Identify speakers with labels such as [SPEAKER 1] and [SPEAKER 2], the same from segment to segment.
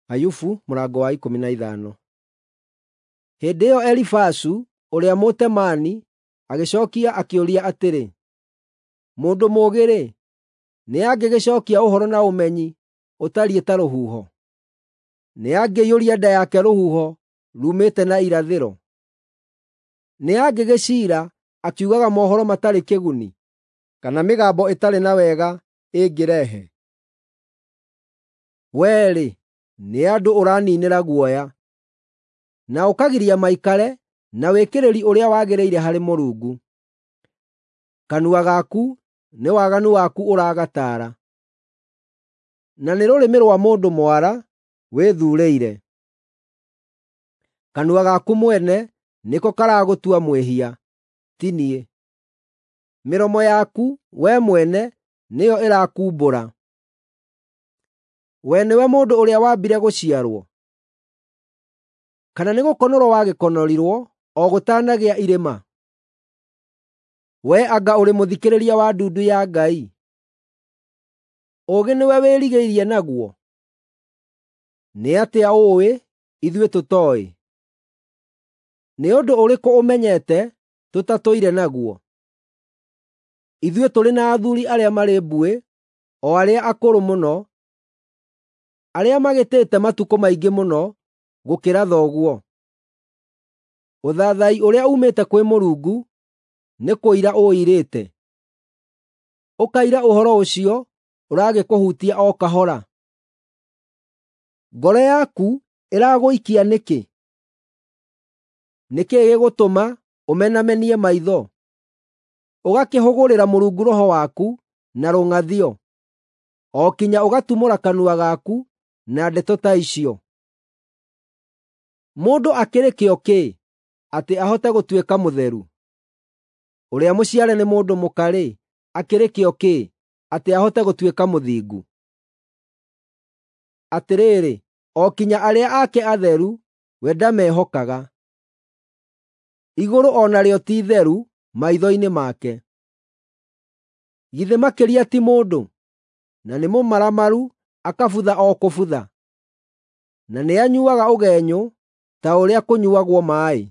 [SPEAKER 1] Ayubu mũrango wa 15. Hĩndĩ ĩyo Elifazu ũrĩa Mũtemaani agĩcookia akĩũria atĩrĩ, “Mũndũ mũũgĩ-rĩ, nĩangĩgĩcookia ũhoro na ũmenyi ũtariĩ ta rũhuho? Nĩangĩiyũria nda yake rũhuho ruumĩte na irathĩro? Nĩangĩgĩciira akiugaga mohoro matarĩ kĩguni, kana mĩgambo ĩtarĩ na wega ĩngĩrehe? Wee-rĩ, nĩ andũ ũraniinĩra guoya, na ũkagiria maikare na wĩkĩrĩri ũrĩa wagĩrĩire harĩ Mũrungu. Kanua gaku nĩ waganu waku ũragataara, na nĩ rũrĩmĩ rwa mũndũ mwara wĩthuurĩire. Kanua gaku mwene nĩko karagũtua mwĩhia, ti niĩ. Mĩromo yaku wee mwene nĩyo ĩrakuumbũra. Wee nĩwe mũndũ ũrĩa wambire gũciarwo? Kana nĩgũkonorwo wagĩkonorirwo o gũtanagĩa irĩma? Wee anga ũrĩ mũthikĩrĩria wa ndundu ya Ngai? Ũũgĩ nĩwe wĩrigĩirie naguo? Nĩ atĩa ũũĩ ithuĩ tũtooĩ? Nĩ ũndũ ũrĩkũ ũmenyete tũtatũire naguo? Ithuĩ tũrĩ na athuuri arĩa marĩ mbuĩ, o arĩa akũrũ mũno, arĩa magĩtĩte matukũ maingĩ mũno gũkĩra thoguo. Ũthaathai ũrĩa uumĩte kwĩ Mũrungu nĩ kũira ũũirĩte, ũkaira ũhoro ũcio ũragĩkũhutia o kahora. Ngoro yaku ĩragũikia nĩkĩ? Nĩ kĩĩ gĩgũtũma ũmenamenie maitho, ũgakĩhũgũrĩra Mũrungu roho waku na rũng'athio, o kinya ũgatumũra kanua gaku na ndeto ta icio? Mũndũ akĩrĩ kĩo kĩ atĩ ahote gũtuĩka mũtheru? Ũrĩa mũciare nĩ mũndũ mũka-rĩ, akĩrĩ kĩo kĩ atĩ ahote gũtuĩka mũthingu? Atĩrĩrĩ, o kinya arĩa ake atheru we ndamehokaga. Igũrũ o narĩo ti itheru maitho-inĩ make. Githĩ makĩria ti mũndũ, na nĩ mũmaramaru akabutha o kũbutha, na nĩanyuuaga ũgenyũ ta ũrĩa kũnyuuagwo maaĩ.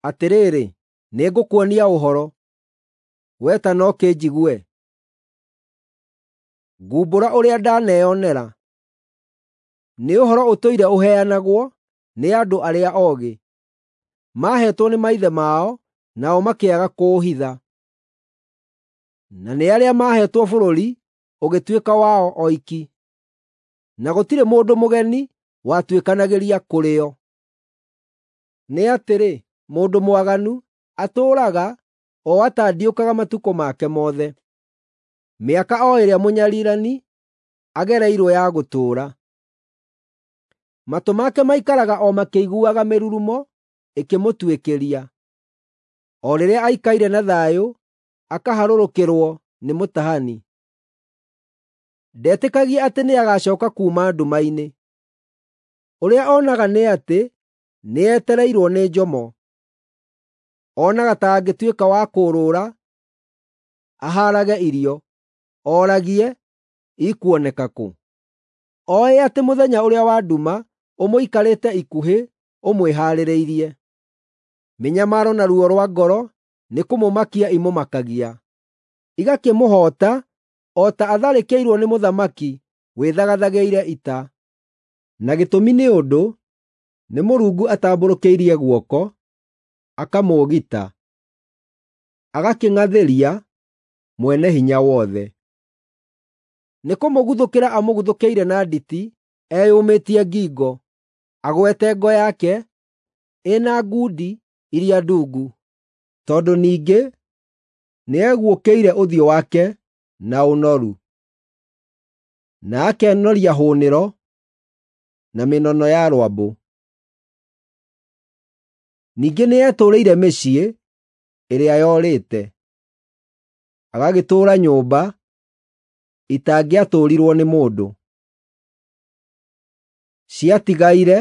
[SPEAKER 1] Atĩrĩrĩ, nĩngũkuonia ũhoro, wee ta no kĩnjigue; ngumbũra ũrĩa ndaneyonera. Nĩ ũhoro ũtũire ũheanagwo nĩ andũ arĩa oogĩ, maaheetwo nĩ maithe mao nao makĩaga kũũhitha. Na nĩ arĩa maaheetwo bũrũri ũgĩtuĩka wao oiki, na gũtirĩ mũndũ mũgeni watuĩkanagĩria kũrĩ o. Nĩ atĩrĩ, mũndũ mwaganu atũũraga o atandiũkaga matukũ make mothe, mĩaka o ĩrĩa mũnyariirani agereirwo ya gũtũũra. Matũ make maikaraga o makĩiguaga mĩrurumo ĩkĩmũtuĩkĩria, o rĩrĩa aikaire na thayũ akaharũrũkĩrwo nĩ mũtahani. Ndetĩkagia atĩ nĩagacooka kuuma nduma-inĩ. Ũrĩa onaga nĩ atĩ nĩetereirwo nĩ njomo. Onaga ta angĩtuĩka wa kũũrũũra ahaarage irio, oragie, “Ikuoneka kũ?” Oĩ atĩ mũthenya ũrĩa wa nduma ũmũikarĩte ikuhĩ ũmwĩhaarĩirie. Mĩnyamaro na ruo rwa ngoro nĩkũmũmakia imũmakagia, igakĩmũhoota o ta atharĩkĩirwo nĩ mũthamaki wĩthagathagĩire ita. Na gĩtũmi nĩ ũndũ nĩ Mũrungu atambũrũkĩirie guoko, akamũũgita, agakĩng'athĩria Mwene-Hinya-Wothe. Nĩkũmũguthũkĩra amũguthũkĩire na nditi eyũmĩtie ngingo, agwete ngo yake ĩna ngundi iria ndungu, tondũ ningĩ nĩeguũkĩire ũthiũ wake na ũnoru, na akenoria hũnĩro na mĩnono ya rwambũ. Ningĩ nĩetũũrĩire mĩciĩ ĩrĩa yorĩte, agagĩtũũra nyũmba itangĩatũũrirwo nĩ mũndũ. Ciatigaire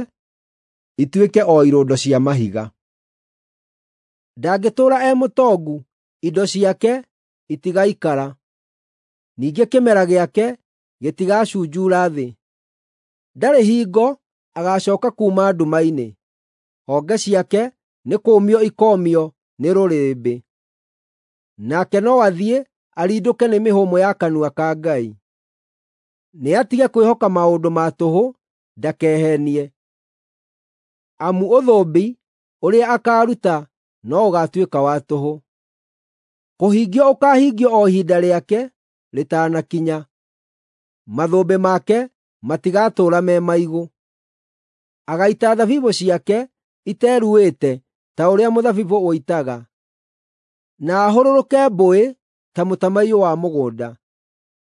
[SPEAKER 1] ituĩke o irũndo cia mahiga. Ndangĩtũũra e mũtongu, indo ciake itigaikara; ningĩ kĩmera gĩake gĩtigacunjuura thĩ. Ndarĩ hingo agaacooka kuuma nduma-inĩ; honge ciake nĩkũũmio ikoomio nĩ rũrĩrĩmbĩ. Nake no athiĩ arindũke nĩ mĩhũmũ ya kanua ka Ngai. Nĩatige kwĩhoka maũndũ ma tũhũ, ndakeheenie, amu ũthũmbi ũrĩa akaaruta no ũgaatuĩka wa tũhũ. Kũhingio ũkaahingio o ihinda rĩake rĩtanakinya; mathũmbĩ make matigatũũra me maigũ. Agaita thabibũ ciake iteruĩte ta ũrĩa mũthabibũ ũitaga, na ahũrũrũke mbũĩ ta mũtamaiyũ wa mũgũnda.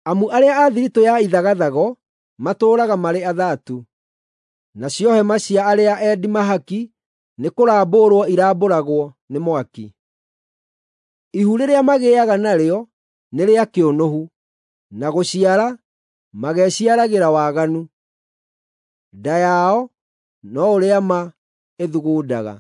[SPEAKER 1] Amu arĩa a thiritũ ya ithagathago matũũraga marĩ athaatu, nacio hema cia arĩa endi mahaki nĩkũrambũrwo irambũragwo nĩ mwaki. Ihu rĩrĩa magĩaga narĩo nĩ rĩa kĩũnũhu, na gũciara mageciaragĩra waganu. Nda yao no ũrĩa ma ĩthugundaga.